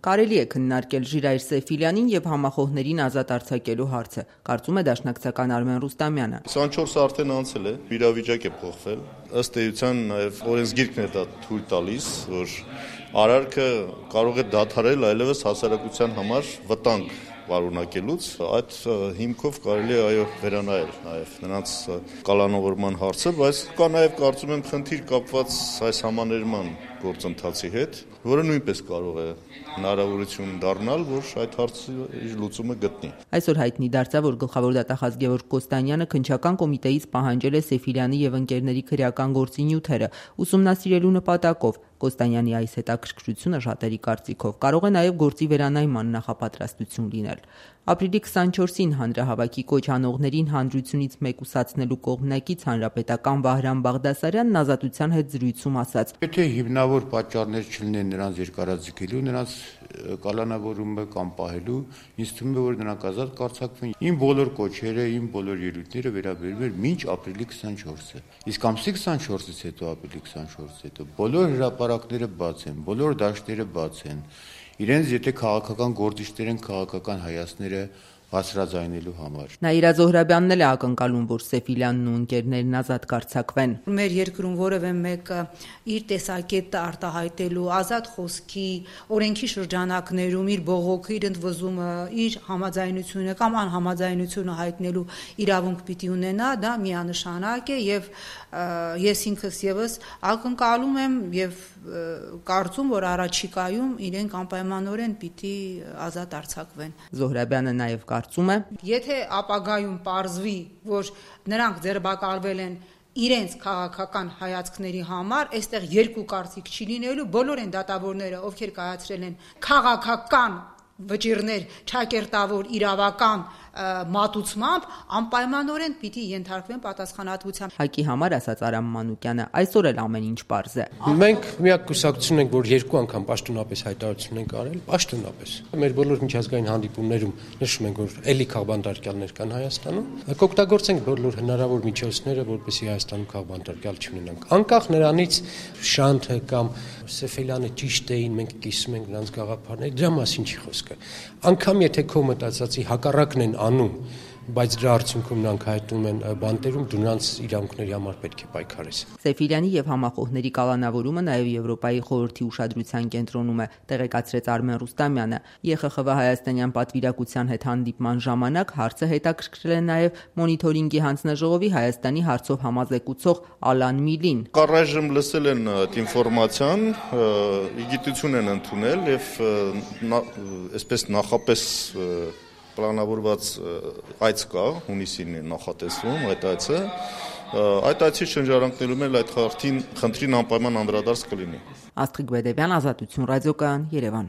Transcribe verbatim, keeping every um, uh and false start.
Կարելի է քննարկել Ժիրայր Սեֆիլյանին եւ համախոհներին ազատ արձակելու հարցը, կարծում է դաշնակցական Արմեն Ռուստամյանը։ քսանչորսը արդեն անցել է, իրավիճակ է փոխվել։ Ըստ էության նաեւ օրենսգիրքն է դա թույլ տալիս, որ արարքը կարող է դադարել այլևս հասարակության համար վտանգ պարունակելուց, այդ հիմքով կարելի է այո վերանայել նաև նրանց կալանավորման հարցը, բայց կա նաև կարծում եմ խնդիր կապված այս համաներման գործընթացի հետ, որը նույնպես կարող է հնարավորություն դառնալ, որ այդ հարցի իր լուծումը գտնի։ Այսօր հայտնի դարձավ, որ գլխավոր դատախազ Գևորգ Կոստանյանը քննչական կոմիտեից պահանջել է Սեֆիլյանի եւ ընկերների քրեական գործի նյութերը ուսումնասիրելու նպատակով։ Կոստանյանի այս հետաքրքրությունը շատերի կարծիքով կարող է նաև գործի վերանայման նախապատրաստություն լինել։ Ապրիլի քսանչորսին հանրահավաքի կոչ անողներին հանրությունից մեկուսացնելու կողմնակից հանրապետական Վահրամ Բաղդասարյանն Ազատության հետ զրույցում ասաց. Եթե հիմնավոր պատճառներ չլինեն նրանց երկարաձգելու, նրանց կալանավորումը կամ պահելու, ինձ թվում է, որ նրանք ազատ կարձակվեն։ Իմ բոլոր կոչերը, իմ բոլոր ելույթները վերաբերում են մինչ ապրիլի քսանչորսը։ Իսկ ամսի քսանչորսից հետո ապրիլի քսանչորսից հետո բոլոր հրապարակները բաց են, բոլոր դաշտերը բաց են։ Իրենց եթե քաղաքական գործիչներ են, քաղաքական հայացքները բարձրաձայնելու համար։ Նաիրա Զոհրաբյանն էլ է ակնկալում, որ Սեֆիլյանն ու ընկերներն ազատ կարձակվեն։ Մեր երկրում որևէ մեկը իր տեսակետը արտահայտելու, ազատ խոսքի, օրենքի շրջանակներում իր բողոքը, իր ընդվզումը, իր համաձայնությունը կամ անհամաձայնությունը հայտնելու իրավունք պիտի ունենա, դա միանշանակ է եւ ես ինքս եւս ակնկալում եմ եւ կարծում, որ առաջիկայում իրենք անպայմանորեն պիտի ազատ արձակվեն։ Զոհրաբյանը նաեւ կարծում է. Եթե ապագայում պարզվի, որ նրանք ձերբակալվել են իրենց քաղաքական հայացքների համար, այստեղ երկու կարծիք չի լինելու, բոլոր են դատավորները, ովքեր կայացրել են քաղաքական վճիռներ, ճակերտավոր իրավական մատուցմամբ, անպայմանորեն պիտի ենթարկվեն պատասխանատվության։ Հակի համար ասաց Արամ Մանուկյանը, այսօր էլ ամեն ինչ պարզ է։ Մենք միակ կուսակցություն ենք, որ երկու անգամ պաշտոնապես հայտարարություն ենք արել, պաշտոնապես։ Մեր բոլոր միջազգային հանդիպումներում նշում ենք, որ էլի քաղբանտարկյալներ կան Հայաստանում, կօգտագործենք բոլոր հնարավոր միջոցները, որպեսզի Հայաստանում քաղբանտարկյալ չունենանք։ Անկախ նրանից Շանթը կամ Սեֆիլյանը ճիշտ էին, մենք կիսում ենք նրանց գաղափարները, դրա մասին չի խոսքը։ Անկամ եթե քո մտածածի հակառակն են անում, բայց դրա արդյունքում նրանք հայտնում են բանտերում, դու նրանց իրավունքների համար պետք է պայքարես։ Սեֆիլյանի եւ համախոհների կալանավորումը նաեւ Եվրոպայի խորհրդի ուշադրության կենտրոնում է, տեղեկացրեց Արմեն Ռուստամյանը։ Ե Խ Խ V հայաստանյան պատվիրակության հետ հանդիպման ժամանակ հարցը հետաքրքրել է նաեւ մոնիթորինգի հանձնաժողովի Հայաստանի հարցով համազեկուցող Ալան Միլին։ Կառայժմ լսել են այդ ինֆորմացիան, իգիտություն են ընդունել եւ այսպես նախապես պլանավորված այց կա, հունիսին է նախատեսվում այդ այցը, այդ այցի շրջանակներում էլ այդ խնդրին անպայման անդրադարձ կլինի։ Աստղիկ Բեդևյան, Ազատություն ռադիոկայան, Երևան։